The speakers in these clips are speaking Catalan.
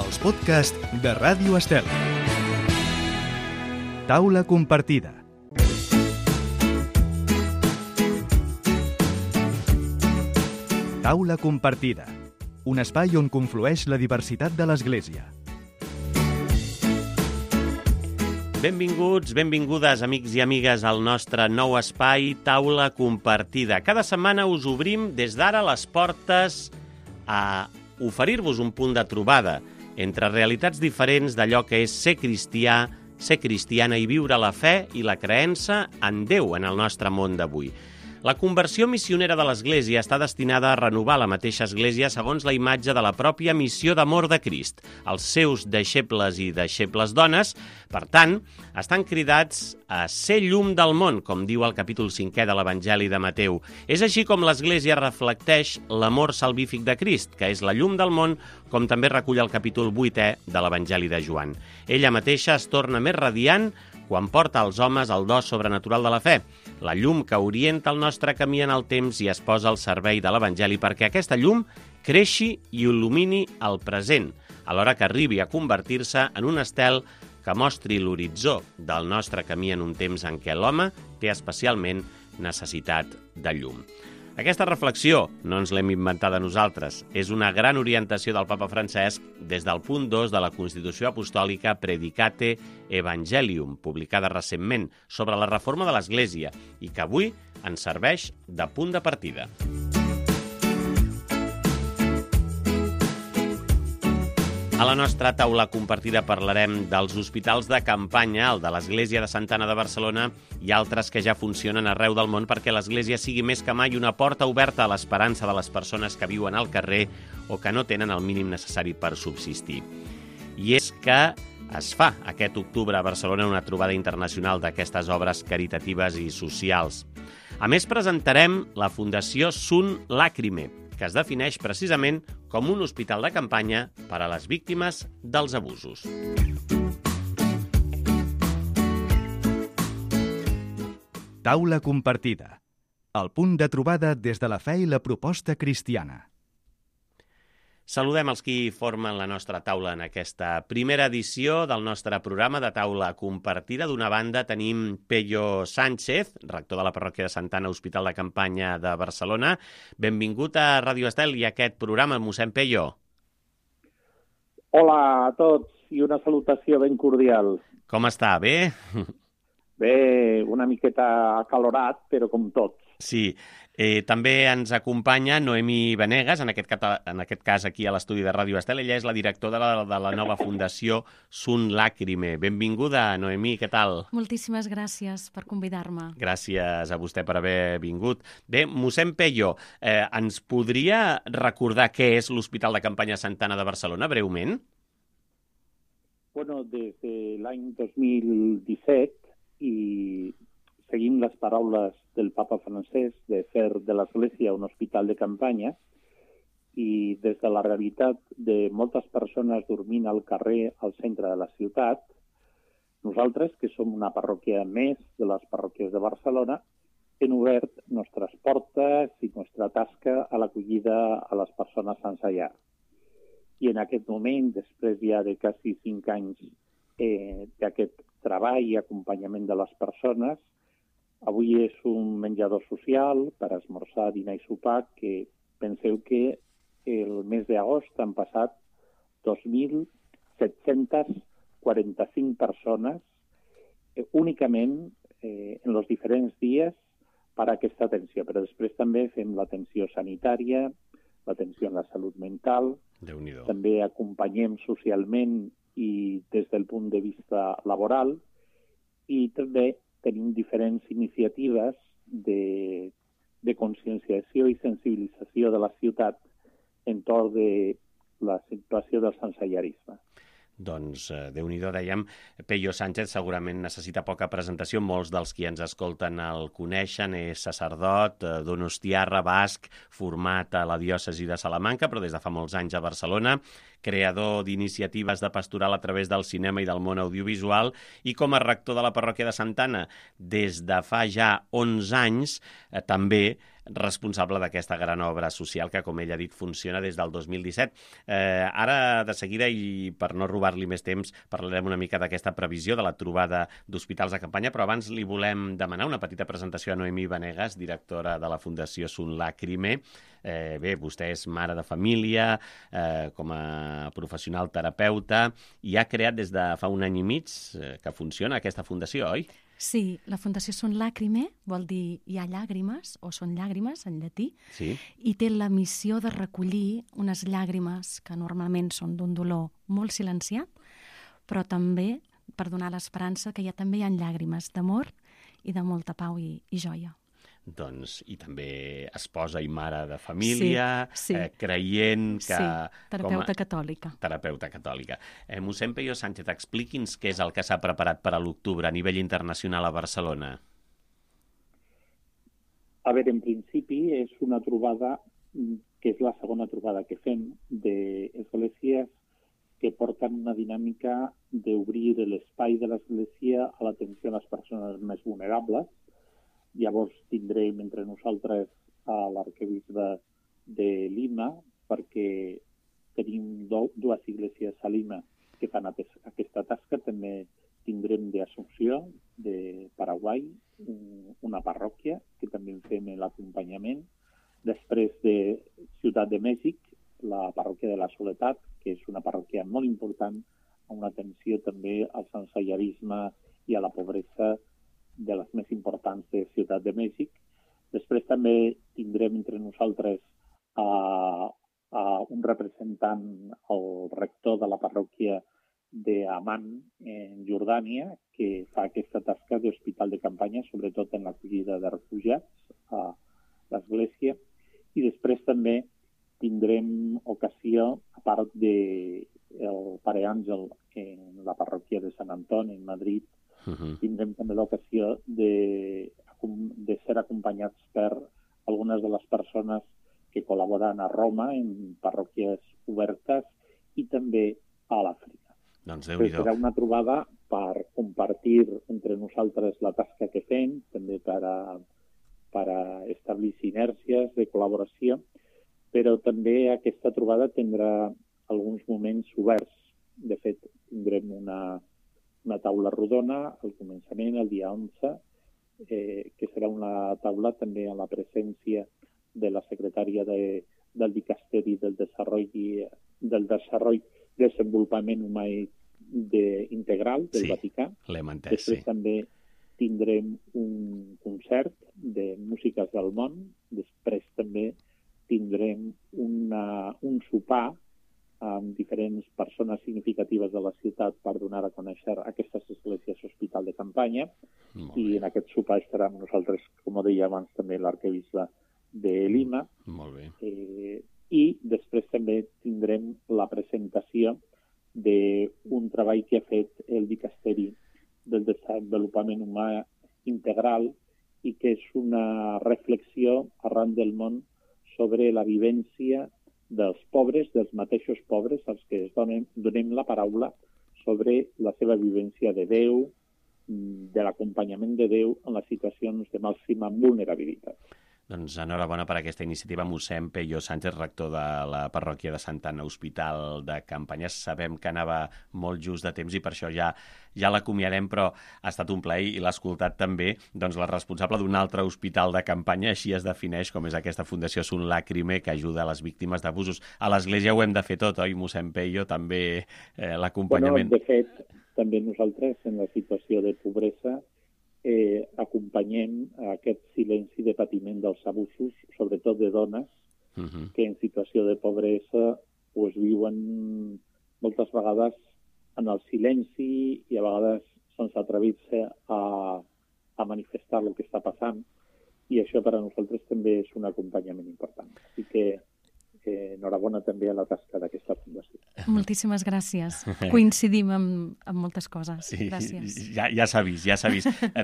els podcasts de Ràdio Estel. Taula compartida. Taula compartida. Un espai on conflueix la diversitat de l'Església. Benvinguts, benvingudes, amics i amigues, al nostre nou espai Taula compartida. Cada setmana us obrim des d'ara les portes a oferir-vos un punt de trobada entre realitats diferents d'allò que és ser cristià, ser cristiana i viure la fe i la creença en Déu en el nostre món d'avui. La conversió missionera de l'Església està destinada a renovar la mateixa Església segons la imatge de la pròpia missió d'amor de Crist. Els seus deixebles i deixebles dones, per tant, estan cridats a ser llum del món, com diu el capítol 5è de l'Evangeli de Mateu. És així com l'Església reflecteix l'amor salvífic de Crist, que és la llum del món, com també recull el capítol 8è de l'Evangeli de Joan. Ella mateixa es torna més radiant quan porta als homes el do sobrenatural de la fe, la llum que orienta el nostre camí en el temps i es posa al servei de l'Evangeli perquè aquesta llum creixi i il·lumini el present, alhora que arribi a convertir-se en un estel que mostri l'horitzó del nostre camí en un temps en què l'home té especialment necessitat de llum. Aquesta reflexió no ens l'hem inventada nosaltres. És una gran orientació del papa Francesc des del punt 2 de la Constitució Apostòlica Predicate Evangelium, publicada recentment, sobre la reforma de l'Església i que avui ens serveix de punt de partida. A la nostra taula compartida parlarem dels hospitals de campanya, el de l'Església de Santa Anna de Barcelona i altres que ja funcionen arreu del món perquè l'Església sigui més que mai una porta oberta a l'esperança de les persones que viuen al carrer o que no tenen el mínim necessari per subsistir. I és que es fa aquest octubre a Barcelona una trobada internacional d'aquestes obres caritatives i socials. A més, presentarem la Fundació Sunt Lacrime, que es defineix precisament com un hospital de campanya per a les víctimes dels abusos. Taula compartida. El punt de trobada des de la fe i la proposta cristiana. Saludem els qui formen la nostra taula en aquesta primera edició del nostre programa de taula compartida. D'una banda tenim Pello Sánchez, rector de la parròquia de Santa Anna, Hospital de Campanya de Barcelona. Benvingut a Ràdio Estel i a aquest programa, mossèn Pello. Hola a tots i una salutació ben cordial. Com està? Bé? Bé, una miqueta acalorat, però com tots. Sí. També ens acompanya Noemí Venegas, en aquest cas aquí a l'estudi de Ràdio Estel. Ella és la directora de la nova fundació Sunt Lacrime. Benvinguda, Noemí, què tal? Moltíssimes gràcies per convidar-me. Gràcies a vostè per haver vingut. Bé, mossèn Pello, ens podria recordar què és l'Hospital de Campanya Santa Anna de Barcelona, breument? Bueno, des de l'any 2017 i seguim les paraules del papa Francesc de fer de l'Església un hospital de campanya i des de la realitat de moltes persones dormint al carrer al centre de la ciutat, nosaltres, que som una parròquia més de les parròquies de Barcelona, hem obert nostres portes i nostra tasca a l'acollida a les persones sense llar. I en aquest moment, després ja de quasi 5 anys d'aquest treball i acompanyament de les persones, avui és un menjador social per esmorzar, dinar i sopar que penseu que el mes d'agost han passat 2.745 persones únicament en els diferents dies per a aquesta atenció. Però després també fem l'atenció sanitària, l'atenció en la salut mental, també acompanyem socialment i des del punt de vista laboral i també tenim diferents iniciatives de conscienciació i sensibilització de la ciutat entorn de la situació del sensellarisme. Doncs, Déu-n'hi-do, dèiem, Pello Sánchez segurament necessita poca presentació. Molts dels qui ens escolten el coneixen. És sacerdot, donostiarra, basc, format a la diòcesi de Salamanca, però des de fa molts anys a Barcelona, creador d'iniciatives de pastoral a través del cinema i del món audiovisual, i com a rector de la parròquia de Santa Anna des de fa ja 11 anys, també responsable d'aquesta gran obra social que, com ell ha dit, funciona des del 2017. Ara, de seguida, i per no robar-li més temps, parlarem una mica d'aquesta previsió de la trobada d'hospitals de campanya, però abans li volem demanar una petita presentació a Noemí Vanegas, directora de la Fundació Sun Lacrime. Bé, vostè és mare de família, com a professional terapeuta, i ha creat des de fa un any i mig que funciona aquesta fundació, oi? Sí, la Fundació Sun Lacrime vol dir hi ha llàgrimes, o són llàgrimes en llatí, Sí. i té la missió de recollir unes llàgrimes que normalment són d'un dolor molt silenciat, però també per donar l'esperança que també hi ha llàgrimes d'amor i de molta pau i joia. Doncs, i també esposa i mare de família, Sí. creient que... Sí, terapeuta catòlica. Terapeuta catòlica. Mossèn Peyo Sánchez, expliqui'ns què és el que s'ha preparat per a l'octubre a nivell internacional a Barcelona. A veure, en principi és una trobada que és la segona trobada que fem d'esglésies que porten una dinàmica d'obrir l'espai de l'església a l'atenció a les persones més vulnerables. Llavors tindrem entre nosaltres a l'arquebisbe de Lima, perquè tenim dues esglésies a Lima que fan aquesta tasca. També tindrem d'Assumpció, de Paraguai, una parròquia que també en fem l'acompanyament. Després de Ciutat de Mèxic, la parròquia de la Soledat, que és una parròquia molt important, amb una atenció també al sensellarisme i a la pobresa de les més importants de Ciutat de Mèxic. Després també tindrem entre nosaltres un representant, el rector de la parròquia d'Amman, en Jordània, que fa aquesta tasca d'hospital de campanya, sobretot en l'acollida de refugiats a l'església. I després també tindrem ocasió, a part del Pare Àngel en la parròquia de Sant Antoni, en Madrid, tindrem també l'ocasió de ser acompanyats per algunes de les persones que col·laboren a Roma en parròquies obertes i també a l'Àfrica. Doncs Déu-n'hi-do. Serà una trobada per compartir entre nosaltres la tasca que fem, també per establir sinergies de col·laboració, però també aquesta trobada tindrà alguns moments oberts. De fet, tindrem una taula rodona al començament, el dia 11, que serà una taula també amb la presència de la secretària del Dicasteri del Desenvolupament Humà Integral del Vaticà. L'hem entès, Després també tindrem un concert de músiques del món. Després també tindrem un sopar amb diferents persones significatives de la ciutat per donar a conèixer aquestes esglésies hospital de campanya. I en aquest sopar estarà amb nosaltres, com deia abans, també l'arquebisbe de Lima. Molt bé. I després també tindrem la presentació d'un treball que ha fet el Dicasteri del Desenvolupament Humà Integral i que és una reflexió arran del món sobre la vivència dels pobres, dels mateixos pobres, als que donem la paraula sobre la seva vivència de Déu, de l'acompanyament de Déu en les situacions de màxima vulnerabilitat. Doncs enhorabona per aquesta iniciativa, mossèn Peyo Sánchez, rector de la parròquia de Santa Anna, Hospital de Campanya. Sabem que anava molt just de temps i per això ja l'acomiadem, però ha estat un plaer i l'ha escoltat també la responsable d'un altre hospital de campanya, així es defineix, com és aquesta Fundació Sun Lacrime, que ajuda a les víctimes d'abusos. A l'Església ho hem de fer tot, oi, mossèn Peyo? També l'acompanyament... De fet, també nosaltres, en la situació de pobresa, acompanyem aquest silenci de patiment dels abusos, sobretot de dones, que en situació de pobresa viuen moltes vegades en el silenci i a vegades sense atrevir-se a manifestar el que està passant, i això per a nosaltres també és un acompanyament important. Així que enhorabona també a la tasca d'aquesta fundació. Moltíssimes gràcies. Coincidim amb moltes coses. Gràcies. Ja s'ha vist.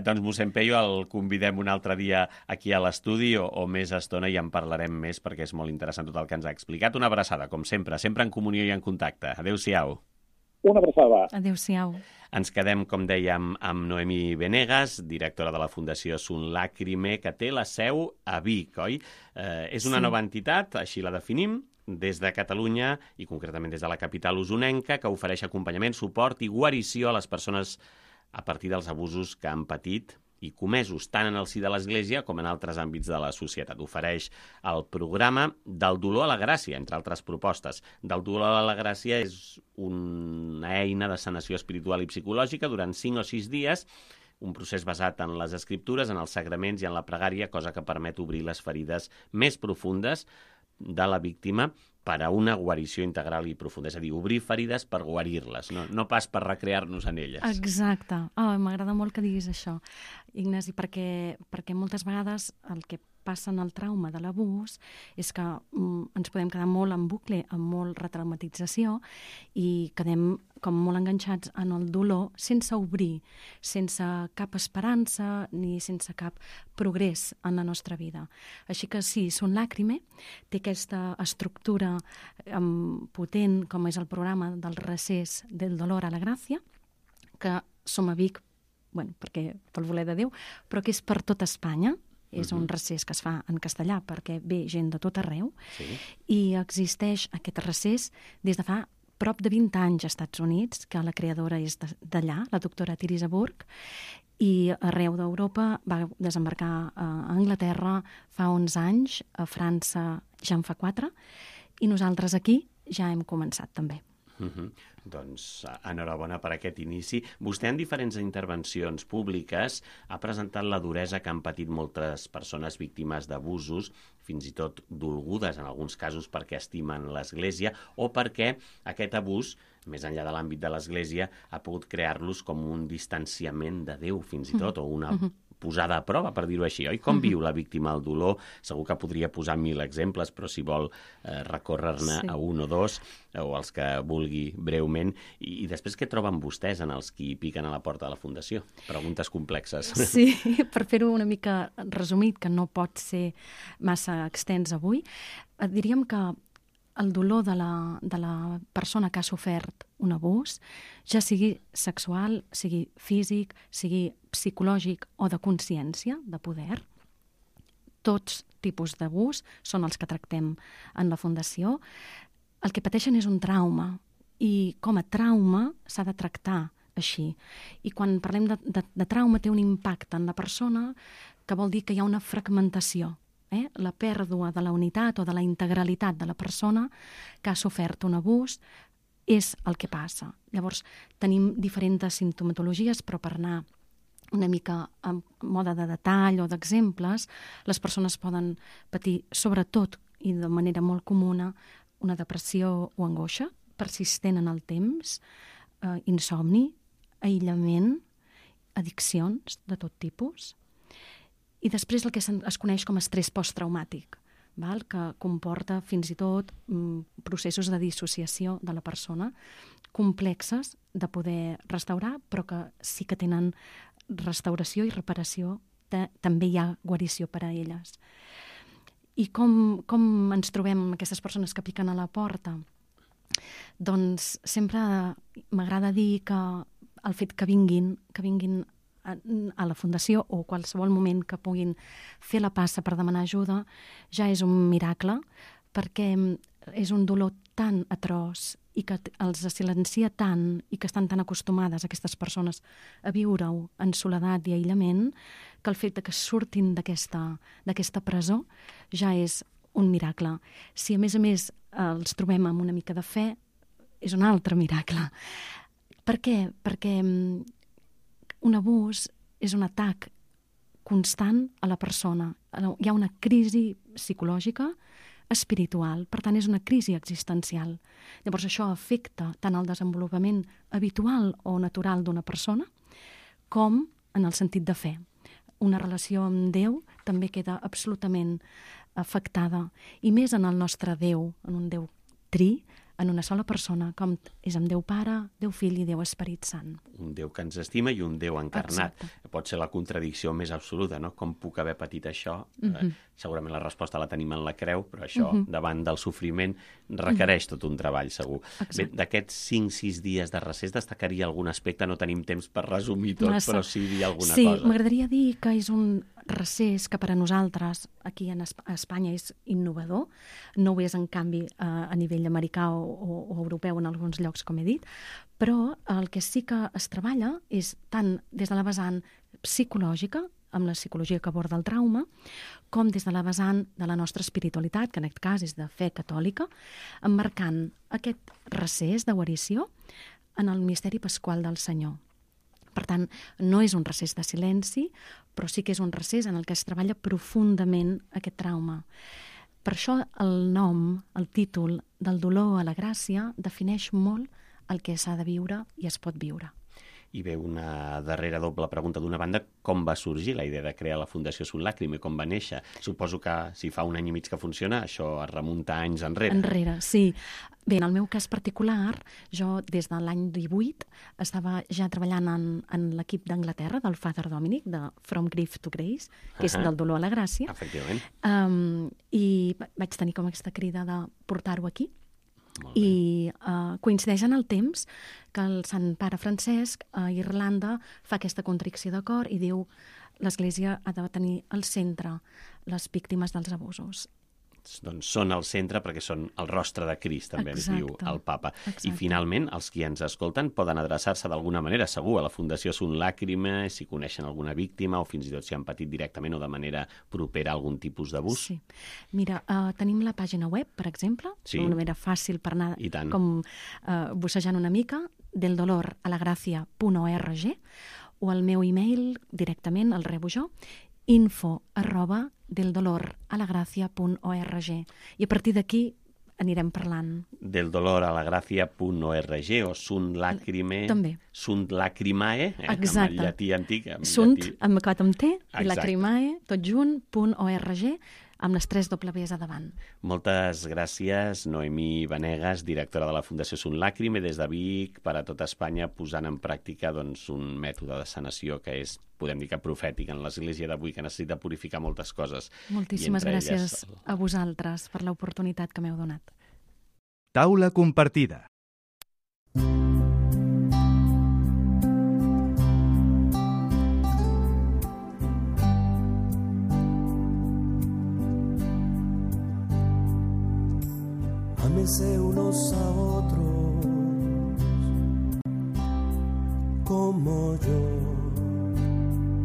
Doncs mossèn Peyo el convidem un altre dia aquí a l'estudi o més estona i en parlarem més perquè és molt interessant tot el que ens ha explicat. Una abraçada, com sempre en comunió i en contacte. Adéu-siau. Una abraçada. Adéu-siau. Ens quedem, com dèiem, amb Noemí Venegas, directora de la Fundació Sun Lacrime, que té la seu a Vic, oi? És una nova entitat, així la definim, des de Catalunya i concretament des de la capital usonenca, que ofereix acompanyament, suport i guarició a les persones a partir dels abusos que han patit i comesos, tant en el si de l'Església com en altres àmbits de la societat. Ofereix el programa Del dolor a la gràcia, entre altres propostes. Del dolor a la gràcia és una eina de sanació espiritual i psicològica durant 5 o 6 dies, un procés basat en les escriptures, en els sagraments i en la pregària, cosa que permet obrir les ferides més profundes de la víctima per a una guarició integral i profunda. És a dir, obrir ferides per guarir-les, no pas per recrear-nos en elles. Exacte. M'agrada molt que diguis això, Ignasi, perquè moltes vegades el que passa en el trauma de l'abús és que ens podem quedar molt en bucle, amb molt retraumatització, i quedem com molt enganxats en el dolor sense obrir, sense cap esperança ni sense cap progrés en la nostra vida. Així que sí, Sun Lacrime té aquesta estructura potent, com és el programa del recés del dolor a la gràcia, que som a Vic, perquè pel voler de Déu, però que és per tot Espanya. És un recés que es fa en castellà perquè ve gent de tot arreu, i existeix aquest recés des de fa prop de 20 anys als Estats Units, que la creadora és d'allà, la doctora Teresa Burke, i arreu d'Europa va desembarcar a Anglaterra fa 11 anys, a França ja en fa 4, i nosaltres aquí ja hem començat també. Doncs enhorabona per aquest inici. Vostè en diferents intervencions públiques ha presentat la duresa que han patit moltes persones víctimes d'abusos, fins i tot dolgudes en alguns casos perquè estimen l'Església o perquè aquest abús, més enllà de l'àmbit de l'Església, ha pogut crear-los com un distanciament de Déu fins i tot, o una posada a prova, per dir-ho així, oi? Com viu la víctima el dolor? Segur que podria posar 1000 exemples, però si vol recórrer-ne a un o dos, o els que vulgui breument. I després què troben vostès en els qui piquen a la porta de la Fundació? Preguntes complexes. Sí, per fer-ho una mica resumit, que no pot ser massa extens avui, diríem que el dolor de la persona que ha sofert un abús, ja sigui sexual, sigui físic, sigui psicològic o de consciència, de poder, tots tipus d'abús són els que tractem en la Fundació. El que pateixen és un trauma, i com a trauma s'ha de tractar així. I quan parlem de trauma té un impacte en la persona que vol dir que hi ha una fragmentació, la pèrdua de la unitat o de la integralitat de la persona que ha sofert un abús és el que passa. Llavors, tenim diferents simptomatologies, però per anar una mica a mode de detall o d'exemples, les persones poden patir, sobretot i de manera molt comuna, una depressió o angoixa persistent en el temps, insomni, aïllament, addiccions de tot tipus, i després el que es coneix com a estrès posttraumàtic, que comporta fins i tot processos de dissociació de la persona complexes de poder restaurar, però que sí que tenen restauració i reparació, també hi ha guarició per a elles. I com ens trobem aquestes persones que piquen a la porta? Doncs sempre m'agrada dir que el fet que vinguin a la Fundació o qualsevol moment que puguin fer la passa per demanar ajuda ja és un miracle, perquè és un dolor tan atroç i que els silencia tant i que estan tan acostumades aquestes persones a viure-ho en soledat i aïllament, que el fet que surtin d'aquesta presó ja és un miracle. Si a més els trobem amb una mica de fe, és un altre miracle. Per què? Perquè un abús és un atac constant a la persona. Hi ha una crisi psicològica, espiritual, per tant és una crisi existencial. Llavors això afecta tant el desenvolupament habitual o natural d'una persona com en el sentit de fe. Una relació amb Déu també queda absolutament afectada, i més en el nostre Déu, en un Déu tri, en una sola persona, com és amb Déu Pare, Déu Fill i Déu Esperit Sant. Un Déu que ens estima i un Déu encarnat. Exacte. Pot ser la contradicció més absoluta, no? Com puc haver patit això? Segurament la resposta la tenim en la creu, però això, davant del sofriment, requereix tot un treball, segur. Bé, d'aquests 5-6 dies de recés, destacaria algun aspecte? No tenim temps per resumir tot, però sí dir alguna cosa. Sí, m'agradaria dir que és un recés que per a nosaltres, aquí a Espanya, és innovador. No ho és, en canvi, a nivell americà o europeu en alguns llocs, com he dit, però el que sí que es treballa és tant des de la vessant psicològica, amb la psicologia que aborda el trauma, com des de la vessant de la nostra espiritualitat, que en aquest cas és de fe catòlica, emmarcant aquest recés de guarició en el misteri pasqual del Senyor. Per tant, no és un recés de silenci, però sí que és un recés en el que es treballa profundament aquest trauma. Per això el nom, el títol del dolor a la gràcia, defineix molt el que s'ha de viure i es pot viure. I ve una darrera doble pregunta. D'una banda, com va sorgir la idea de crear la Fundació Sunt Làcrime? Com va néixer? Suposo que si fa un any i mig que funciona, això es remunta anys enrere. Enrere, sí. Bé, en el meu cas particular, jo des de l'any 18 estava ja treballant en l'equip d'Anglaterra, del Father Dominic, de From Grief to Grace, que és del dolor a la gràcia. Efectivament. I vaig tenir com aquesta crida de portar-ho aquí. I coincideix en el temps que el Sant Pare Francesc a Irlanda fa aquesta contricció de cor i diu l'Església ha de tenir al centre les víctimes dels abusos. Doncs són al centre perquè són el rostre de Crist, també ens diu el Papa. I finalment, els qui ens escolten poden adreçar-se d'alguna manera, segur, a la Fundació Sunt Làcrime, si coneixen alguna víctima o fins i tot si han patit directament o de manera propera algun tipus d'abús. Sí. Mira, tenim la pàgina web, per exemple, una manera fàcil per anar com bussejant una mica, deldoloralagracia.org, o el meu e-mail directament, el rebo jo, info@deldoloralagracia.org. I a partir d'aquí anirem parlant. Deldoloralagracia.org o Sunt Làcrime... També. Sunt Lacrimae, amb el llatí antic. Sunt, amb acat amb T, i Lacrimae, tot junt, .org, amb les 3 Ws a davant. Moltes gràcies, Noemí Vanegas, directora de la Fundació Sunt Làcrime, des de Vic, per a tota Espanya, posant en pràctica un mètode de sanació que és, podem dir que profètic en l'Església d'avui, que necessita purificar moltes coses. Moltíssimes gràcies a vosaltres per l'oportunitat que m'heu donat. Taula compartida. Ámense unos a otros como yo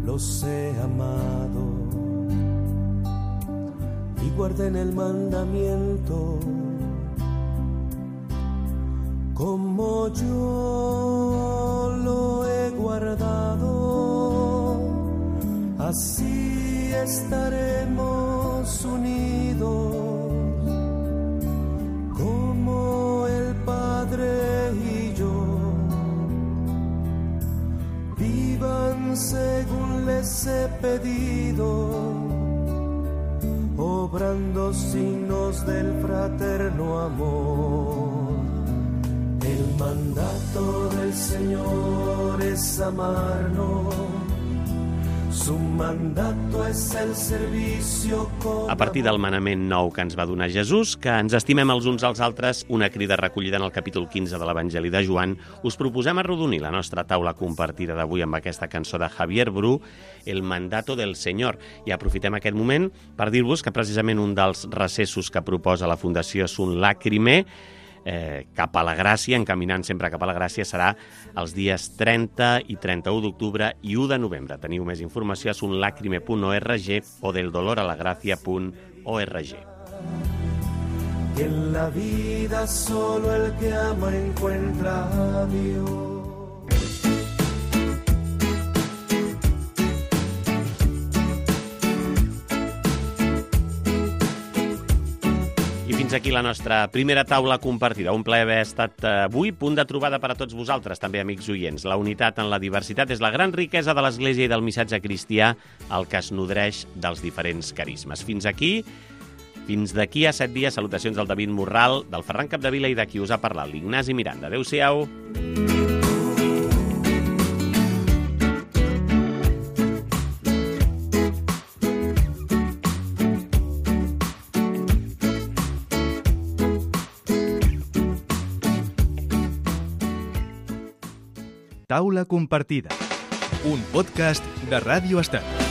los he amado y guarden el mandamiento como yo lo he guardado. Así estaremos unidos como el Padre y yo. Vivan según les he pedido, obrando signos del fraterno amor. El mandato del Señor es amarnos. Su mandato és el servicio com... A partir del manament nou que ens va donar Jesús, que ens estimem els uns als altres, una crida recollida en el capítol 15 de l'Evangeli de Joan, us proposem arrodonir la nostra taula compartida d'avui amb aquesta cançó de Javier Bru, El mandato del Senyor. I aprofitem aquest moment per dir-vos que precisament un dels recessos que proposa la Fundació Sunt Làcrime, cap a la gràcia, encaminant sempre cap a la gràcia, serà els dies 30 i 31 d'octubre i 1 de novembre. Teniu més informació a sunlacrime.org o deldoloralagracia.org. En la vida solo el que ama encuentra a Dios. Fins aquí la nostra primera taula compartida. Un plaer haver estat avui, punt de trobada per a tots vosaltres, també amics oients. La unitat en la diversitat és la gran riquesa de l'Església i del missatge cristià, el que es nodreix dels diferents carismes. Fins aquí Fins d'aquí a 7 dies, salutacions del David Morral, del Ferran Capdevila i de qui us ha parlat, l'Ignasi Miranda. Adéu-siau. Taula compartida, un podcast de Ràdio Estat.